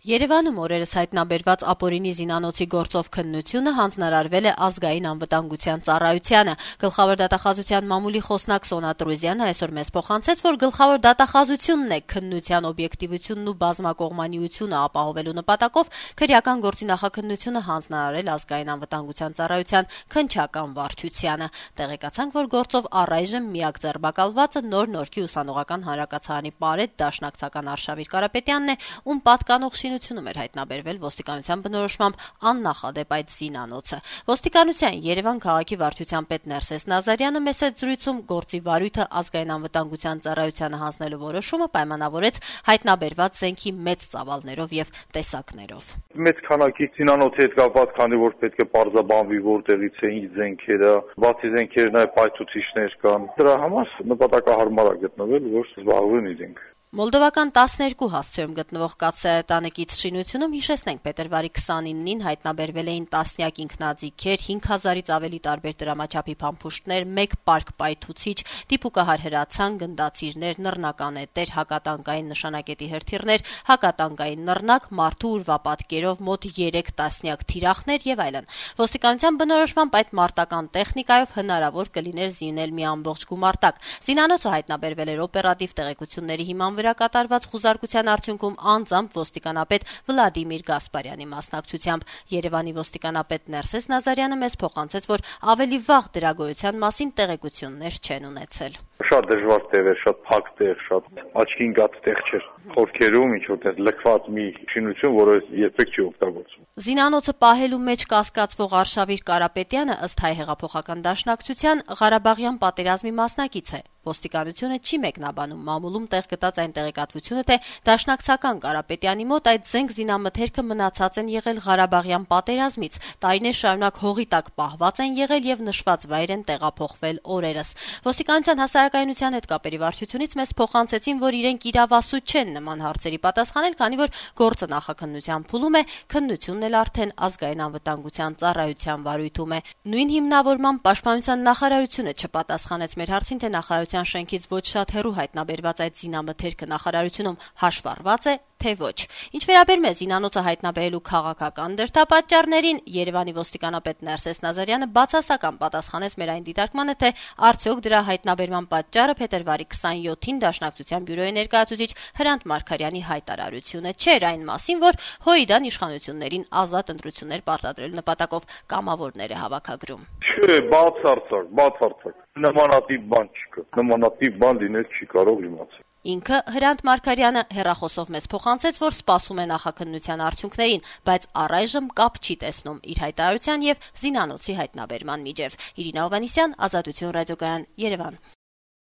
Երևանում օրերս հայտնաբերված ապօրինի զինանոցի գործով քննությունը հանձնարարվել է Ազգային անվտանգության ծառայությանը։ Գլխավոր դատախազության մամուլի խոսնակ Սոնա Տրուզյանը այսօր մեզ փոխանցեց, որ գլխավոր դատախազությունն է քննության օբյեկտիվությունն ու բազմակողմանիությունը ապահովելու նպատակով քրեական գործի նախաքննությունը հանձնարարել Ազգային անվտանգության ծառայության քննչական վարչությանը։ Տեղեկացանք, որ գործով առայժմ միակ ձերբակալվածը նոր Նորքի ուսանողական հանրակացարանի պարետ դաշնակցական Արշավիր Կարապետյանն է, ում պատկանող շինությունում էր հայտնաբերվել ոստիկանության բնորոշմամբ աննախադեպ այդ զինանոցը։ Ոստիկանության Երևան քաղաքի վարչության պետ Ներսես Նազարյանը մեծ զրույցում գործի վարույթը Ազգային անվտանգության ծառայությանը հանձնելու որոշումը պայմանավորեց հայտնաբերված զենքի մեծ ծավալներով եւ տեսակներով։ Մեծ քանակի զինանոցի հետ կապված, քանի որ պետք է պարզաբանվի որտեղից է ինչ զենքերը, բացի զենքերը նաեւ պայթուցիչներ կան։ Դրա համար նպատակահարմար է գտնվել, որ զբաղվեն իրենք։ Մոլդովական 12 հասցեում գտնվող Կաթսայատանեկից շինությունում, հիշեցնենք, փետրվարի 29-ին հայտնաբերվել էին տասնյակ ինքնաձիգեր, 5000-ից ավելի տարբեր դրամաչափի փամփուշտներ, 1 պարկ պայթուցիչ, դիպուկահար հրացան, գնդացիրներ, նռնականետեր, հակատանկային նշանակետի հրթիռներ, հակատանկային նռնակ, մարդու ուրվապատկերով մոտ 3 տասնյակ թիրախներ եւ այլն։ Ոստիկանության բնորոշմամբ այդ մարտական տեխնիկայով հնարավոր կլիներ զինել մի ամբողջ գումարտակ։ Զինանոցը հայտնաբերվել էր օպերատիվ տեղեկությունների հիման վրա կատարված խուզարկության արդյունքում անձամբ ոստիկանապետ Վլադիմիր Գասպարյանի մասնակցությամբ։ Երևանի ոստիկանապետ Ներսես Նազարյանը մեզ փոխանցեց, որ ավելի վաղ դրա գոյության մասին տեղեկություններ չեն ունեցել։ Շատ դժվար տեղ էր, շատ փակ տեղ, շատ աչքին գած տեղ չէր։ Խորքերում ինչ-որ լքված մի շինություն, որը երբեք չի օգտագործվում։ Զինանոցը պահելու մեջ կասկածվող Արշավիր Կարապետյանը ըստ Հայ հեղափոխական դաշնակցության Ղարաբաղյան պատերազմի մասնակից է։ Ոստիկանությունը չի մեկնաբանում մամուլում տեղ գտած այն տեղեկատվությունը, թե դաշնակցական Կարապետյանի մոտ այդ զենք զինամթերքը մնացած են եղել Ղարաբաղյան պատերազմից, տարիներ շարունակ հողի տակ պահված են եղել եւ նշված վայր են տեղափոխվել օրերս։ Ոստիկանության հասարակայնության հետ կապերի վարչությունից մեզ փոխանցեցին, որ իրենք իրավասու չեն նման հարցերի պատասխանել, քանի որ գործը նախաքննության փուլում է, քննությունն էլ արդեն Ազգային անվտանգության ծառայության վարույթում է։ Նույն հիմնավորման պաշտպանության նախարարությունը չպատասխանեց մեր հարցին, թե նախարարության շենքից ոչ շատ հեռու հայտնաբերված այդ զինամթերքը նախարարությունում հաշվառված է, թե ոչ։ Ինչ վերաբերում է զինանոցը հայտնաբերելու քաղաքական դրդապատճառներին, Երևանի ոստիկանապետ Ներսես Նազարյանը բացասական պատասխանեց մեր այն դիտարկմանը, թե արդյոք դրա հայտնաբերման պատճառը փետրվարի 27-ին Դաշնակցության բյուրոյի ներկայացուցիչ Հրանտ Մարգարյանի հայտարարությունը չէր այն մասին, որ ՀՅԴ-ն իշխանություններին ազատ ընտրություններ պարտադրելու նպատակով կամավորներ է հավաքագրում։ Չէ, բացարձակ։ Նմանատիպ բան չկա։ Նմանատիպ բան լինել չի կարող իմացել։ Ինքը Հրանտ Մարգարյանը հեռախոսով մեզ փոխանցեց, որ սպասում է նախաքննության արդյունքներին, բայց առայժմ կապ չի տեսնում իր հայտարարության եւ զինանոցի հայտնաբերման միջեւ։ Իրինա Հովհաննիսյան, Ազատություն ռադիոկայան, Երևան։